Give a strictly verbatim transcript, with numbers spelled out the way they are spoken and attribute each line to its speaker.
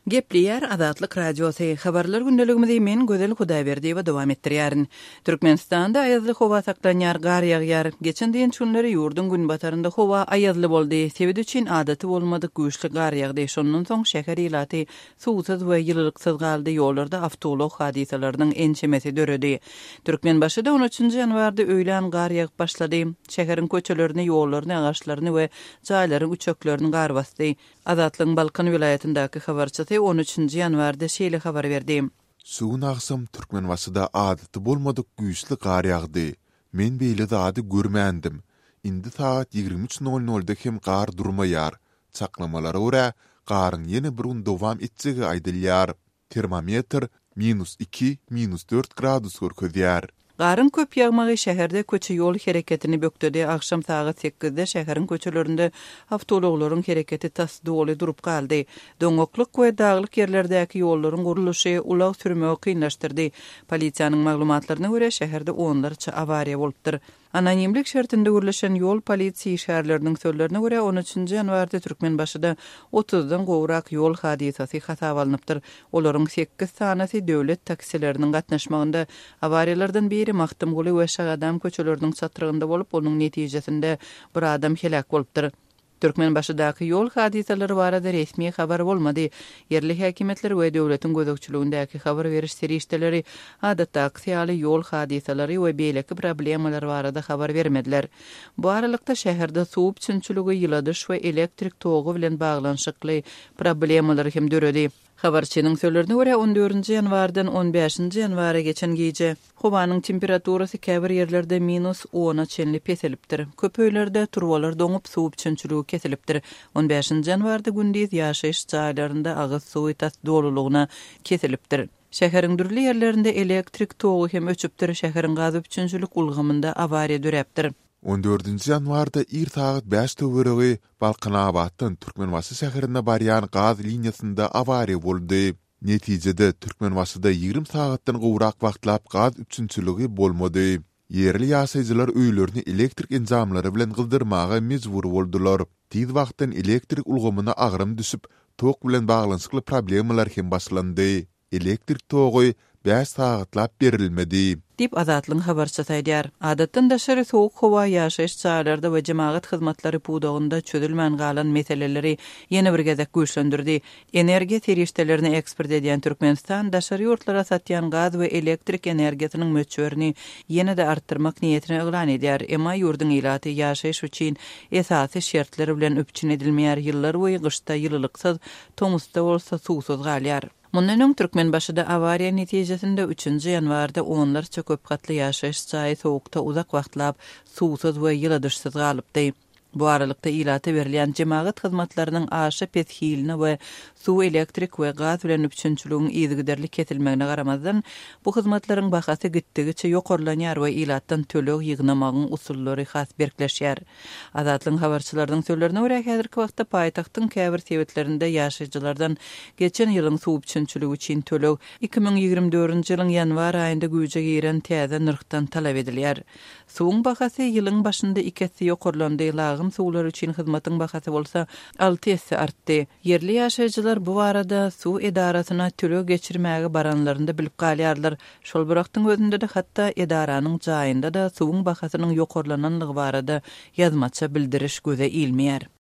Speaker 1: Gepleyer Azatlyk Radiosu habarlar gündeligimizde men Gözel Hudaýberdi we dowam etdirýärin. Türkmenistanda aýazly howa saklanýar, gar ýagýar. Geçen diýen çünleri ýurdun gün batarynda howa aýazly boldy. Sebäbi üçin adaty bolmadyk güýçli gar ýagdy. Şondan soň şäher ilaty suwsuz we ýylylyksyz galdy. Ýollarda awtolog hadisalarynyň ençemesi döredi. Türkmenbaşyda on üçinji ýanwarda öýlen gar ýagyp başlady. Şäheriň köçelerini, ýollaryny, agaçlaryny we jaýlaryň uçaklaryny gar basdy. Azatlyň Balkan vilayetindäki habarçysy on üçinji ýanwarda şeýle habar berdi.
Speaker 2: Suwun agsam Türkmenbaşyda adaty bolmadyk güýçli gar ýagdy. Men beýle zady görmändim. Indi saat ýigirmi üç nol nolda hem gar durmaýar. Çaklamalara görä garyň ýene bir gün dowam etjegi aýdylýar. Termometr minus iki, minus dört gradus görkezýär.
Speaker 1: Garın köp ýagmagy şäherde köçe ýol hereketini bökdedi. Akşam saat sekizde şäheriň köçelerinde awtologlaryň hereketi tas doly durup galdy. Doňoklyk we daglyk ýerlerdäki ýollaryň guruluşy ulag sürmegi kynlaşdyrdy. Polisiýanyň maglumatlaryna görä şäherde onlarça awariýa bolupdyr. Anonimlik şertinde gürleşen ýol polisiýa şäherleriniň sözlerine görä on üçinji ýanwarda Türkmenbaşyda otuzdan gowrak ýol hadisasy hasaba alınıpdyr. Olaryň sekiz sanasy döwlet taksileriniň gatnaşmagynda awariýalardan biri Maktum Guly we Şagadam köçeleriniň çatyrygynda bolup, onuň netijesinde bir adam helak bolupdyr. Türkmenbaşydaky ýol hadisalary barada resmi habar bolmady. Yerli häkimetler we döwletiň gözegçiligindäki habar beriş serişdeleri adatda aksiýaly ýol hadisalary we beýleki problemalar barada habar bermediler. Bu aralykda şäherde suw üçinçiligi, ýyladyş we elektrik togy bilen baglanşykly problemalar hem döredi. Habarçynyň sözlerine görä on dördünji ýanwardan on beşinji ýanwara geçen gece howanyň temperaturasy käbir ýerlerde minus ona çenli peselipdir. Köp öýlerde turwalar doňup suw üçinçiligi kesilipdir. on beşinji ýanwarda gündüz ýaşaýyş jaýlarynda agyz suwy tas dolulugyna kesilipdir. Şäheriň dürli ýerlerinde elektrik togy hem öçüpdir. Şäheriň gaz üçinçilik ulgamynda awariýa döräpdir.
Speaker 2: on dördünji ýanwarda ir saat beş töweregi Balkanabaddan Türkmenbaşy şäherine barýan gaz liniýasynda awariýa boldy. Netijede Türkmenbaşyda ýigirmi saatdan gowrak wagtlap gaz üçinçiligi bolmady. Yerli ýaşaýjylar öýlerini elektrik enjamlary bilen gyldyrmaga mejbur boldular. Tiz wagtdan elektrik ulgamyna agrym düşüp, tok bilen baglanşykly problemalar hem başlandy. Elektrik togy beş saatlap berilmedi. Dip
Speaker 1: Azatlyň habarçysy aýdýar. Adatdan daşary sowuk howa ýaşaýyş jaýlarynda we jemaat hyzmatlary puwdagynda çözülmän galan meseleleri ýene bir gezek güýçlendirdi. Energiýa serişdelerini eksport edýän Türkmenistan daşary ýurtlara satýan gaz we elektrik energiýasynyň möçberini ýene-de artdyrmak niýetini eglan edýär. Emma ýurdun ilaty ýaşaýyş üçin esasy şertleri bilen öpçün edilmeýär. Ýyllar boýy gyşda ýylylyksyz, tomusda bolsa suwsuz galýar. Mundan öň Türkmenbaşyda awariýa netijesinde üçinji ýanwarda onlarça köp gatly ýaşaýyş jaý sowukda uzak wagtlap suwsuz we ýyladyşsyz galypdy. Bu aralykda ilaty berilýän jemaat hyzmatlarynyň aşy peshiline we suw elektrik we gaz bilen üçinçiligiň ýygyderlik kesilmegine garamazdan bu hyzmatlaryň bahasy gitdigiçe ýokarlanýar we ilatdan tölek ýygnamagyň usullary has berkleşýär. Azatlyň habarçylarynyň sözlerine görä häzirki wagtda paýtagtyň käbir sebetlerinde ýaşaýjylardan geçen ýylyň suw üçinçiligi üçin tölek iki ming ýigirmi dördünji ýylyň ýanwar aýynda güýje giren täze nyrkdan talap edilýär. Suwun bahasy ýylyň başynda ikisi ýokarlandy. Lagym suwlar üçin hyzmatyň bahasy bolsa alty esse artdy. Yerli ýaşaýjylar bu arada suw edarasyna tölek geçirmäge baranlarynda bilip galýarlar. Şol birakdyň özünde de hatda edaranyň jaýynda da suwun bahasynyň ýokarlananlygy barada ýazmaça bildiriş göze ilmeýär.